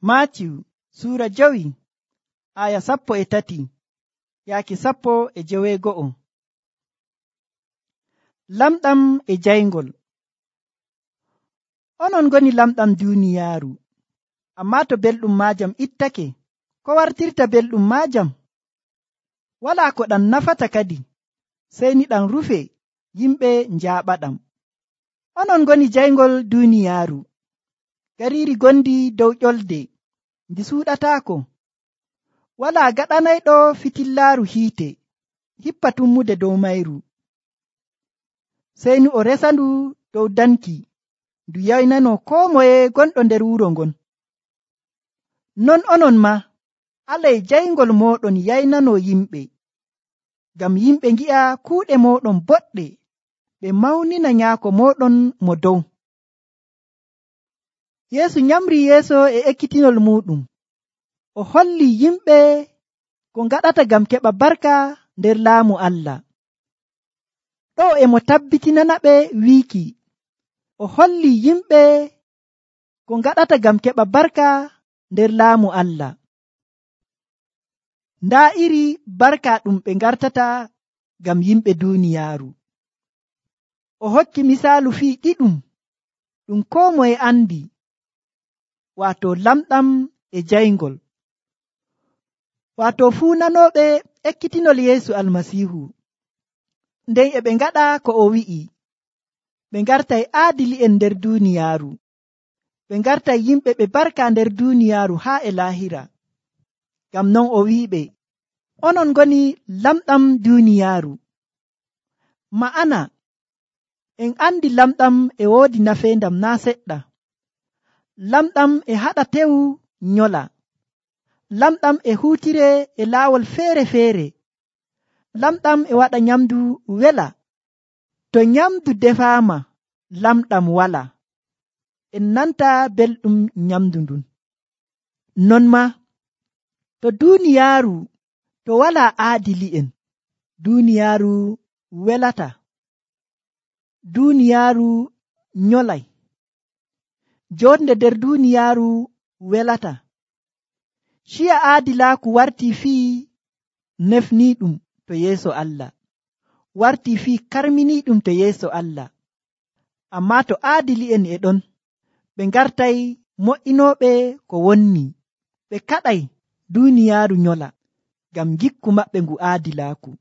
Maatiyu suura 5 aya 13 yaaki 12. Lamɗam e jayngol. Onon ngoni lamɗam duuniyaaru, ammaa to belɗum maajam ittake, ko wartirta belɗum maajam? Walaa ko ɗam nafata kadi, sey ni ɗam rufe yimɓe njaaɓaɗam. Onon ngoni jayngol duuniyaaru, gariiri gondi dow ƴolde ndi suuɗataako. Walaa gaɗanayɗo fitillaaru hiite hippa tummude dow mayru, sey ni o resandu dow danki ndu yaynano koo moye gonɗo nder wuro ngon. Non onon maa alay jayngol mooɗon yaynano yimɓe, ngam yimɓe ngi'a kuuɗe mooɗon boɗɗe, ɓe mawnina nyaako mooɗon mo dow. Yeesu nyamri yeeso e ekkitinol muɗum, o holli yimɓe ko ngaɗata ngam keɓa barka nder laamu Allah. Ɗo e mo tabbitinanaɓe wiiki, o holli yimɓe ko ngaɗata ngam keɓa barka nder laamu Allah. Ndaa iri barka ɗum ɓe ngartata ngam yimɓe duuniyaaru. O hokki misaalu fii ɗiɗum ɗum koo moye andi, waato lamɗam e jayngol. Waato fuu nanooɓe ekkitinol Yeesu Almasiihu, nden e ɓe ngaɗa ko o wi'i. Ɓe ngartay aadili'en nder duuniyaaru, ɓe ngartay yimɓe ɓe barka nder duuniyaaru haa e laahira. Ngam non o wi'iɓe, onon ngoni lamɗam duuniyaaru. Ma'ana, en andi lamɗam e woodi nafeendam naa seɗɗa. Lamɗam e haɗa tewu nyola. Lamɗam e huutire e laawol feere-feere. Lamɗam e waɗa nyamdu wela. To nyamdu defaama, lamɗam walaa, en nanta belɗum nyamdu ndun. Non maa, to duuniyaaru to walaa aadili'en, duuniyaaru welata. Duuniyaaru nyolay. Jonde nder duuniyaaru welata. Ciya aadilaaku wartii fii nefniiɗum to yeeso Allah, wartii fii karminiiɗum to yeeso Allah. Ammaa to aadili'en e ɗon, ɓe ngartay mo'inooɓe ko wonni, ɓe kaɗay duuniyaaru nyola, ngam ngikku maɓɓe ngu aadilaaku.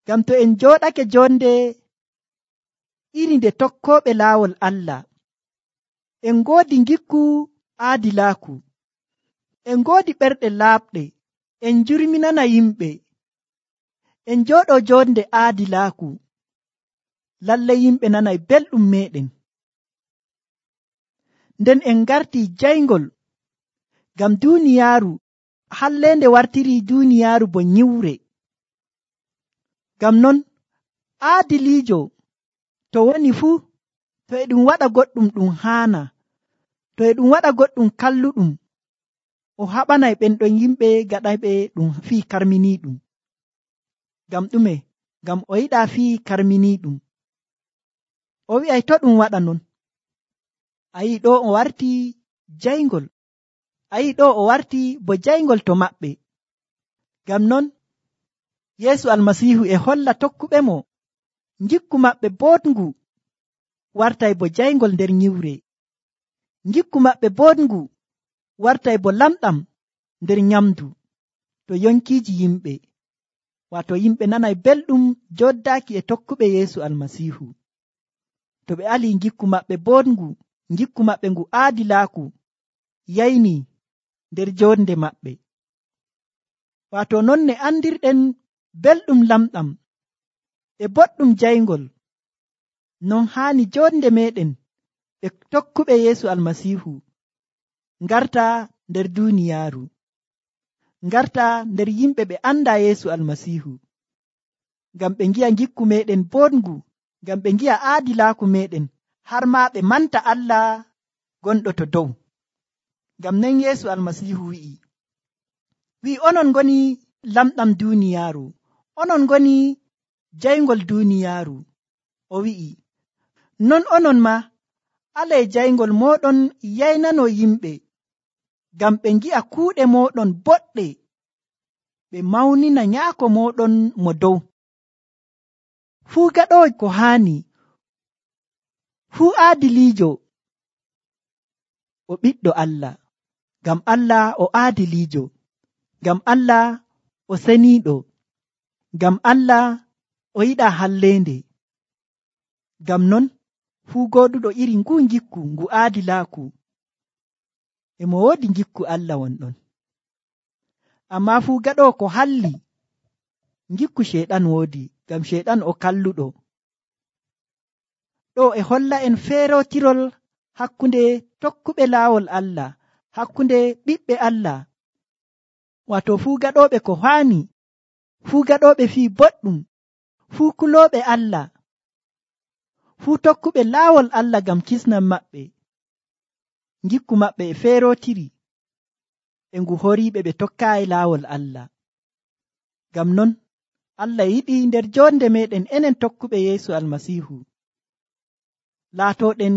Ngam to en jooɗake jonde iri nde tokkooɓe laawol Allah, en ngoodi ngikku aadilaaku, en ngoodi ɓerɗe laaɓɗe, en njurminana yimɓe, en jooɗo jonde aadilaaku, lallay yimɓe nanay belɗum meɗen. Nden en ngartii jayngol, ngam duuniyaaru halleende wartiri duuniyaaru bo nyiwre. Ngam non aadiliijo to woni fuu, to e ɗum waɗa goɗɗum ɗum haana, to e ɗum waɗa goɗɗum kalluɗum, o haɓanay ɓen ɗon yimɓe gaɗayɓe ɗum fii karminiiɗum. Ngam ɗume? Ngam o yiɗaa fii karminiiɗum. O wi'ay to ɗum waɗa non. A yi'i ɗo o wartii jayngol. A yi'i ɗo o wartii bo jayngol to maɓɓe. Ngam non Yeesu Almasiihu e holla tokkuɓe mo ngikku maɓɓe boɗngu wartay bo jayngol nder nyiwre. Ngikku maɓɓe boɗngu wartay bo lamɗam nder nyamdu to yonkiiji yimɓe. Waato yimɓe nanay belɗum joddaaki e tokkuɓe Yeesu Almasiihu. To ɓe alii ngikku maɓɓe boɗngu, ngikku maɓɓe ngu aadilaaku yayni nder jonde maɓɓe. Waato non ne andirɗen belɗum lamɗam e boɗɗum jayngol, non haani jonde meɗen ɓe tokkuɓe Yeesu Almasiihu ngarta nder duuniyaaru, ngarta nder yimɓe ɓe anda Yeesu Almasiihu, ngam ɓe ngi'a ngikku meɗen boɗngu, ngam ɓe ngi'a aadilaaku meɗen, har maa ɓe manta Allah gonɗo to dow. Ngam nen Yeesu Almasiihu wi'i onon ngoni lamɗam duuniyaaru, onon ngoni jayngol duuniyaaru. O wi'i, non onon maa alay jayngol mooɗon yaynano yimɓe, ngam ɓe ngi'a kuuɗe mooɗon boɗɗe, ɓe mawnina nyaako mooɗon mo dow. Fuu gaɗoowo ko haani, fuu aadiliijo o ɓiɗɗo Allah, ngam Allah o aadiliijo, ngam Allah o seniiɗo, ngam Allah o yiɗaa halleende. Ngam non fuu gooduɗo iri nguu ngikku ngu aadilaaku e mo woodi ngikku Allah wonɗon. Ammaa fuu gaɗoowo ko halli, ngikku Ceyɗan woodi, ngam Ceyɗan o kalluɗo. Ɗo e holla en feerotirol hakkunde tokkuɓe laawol Allah, hakkunde ɓiɓɓe Allah, waato fuu gaɗooɓe ko haani, fuu gaɗooɓe fii boɗɗum, fuu kulooɓe Allah, fuu tokkuɓe laawol Allah ngam kisnam maɓɓe. Ngikku maɓɓe e feerotiri e ngu horiiɓe ɓe tokkaayi laawol Allah. Ngam non Allah yiɗi nder jonde meɗen enen tokkuɓe Yeesu Almasiihu laatooɗen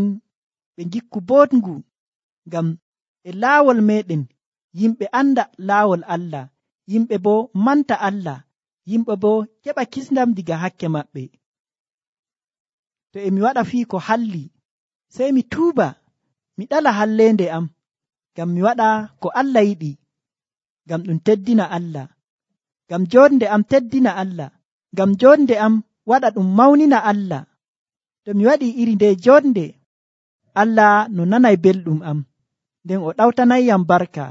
ɓe ngikku boɗngu, ngam e laawol meɗen yimɓe anda laawol Allah, yimɓe boo manta Allah, yimɓe boo keɓa kisndam diga hakke maɓɓe. To e mi waɗa fii ko halli, sey mi tuuba, mi ɗala halleende am, ngam mi waɗa ko Allah yiɗi, ngam ɗum teddina Allah, ngam jonde am teddina Allah, ngam jonde am waɗa ɗum mawnina Allah. To mi waɗi iri nde jonde, Allah no nanay belɗum am, nden o ɗawtanayyam barka.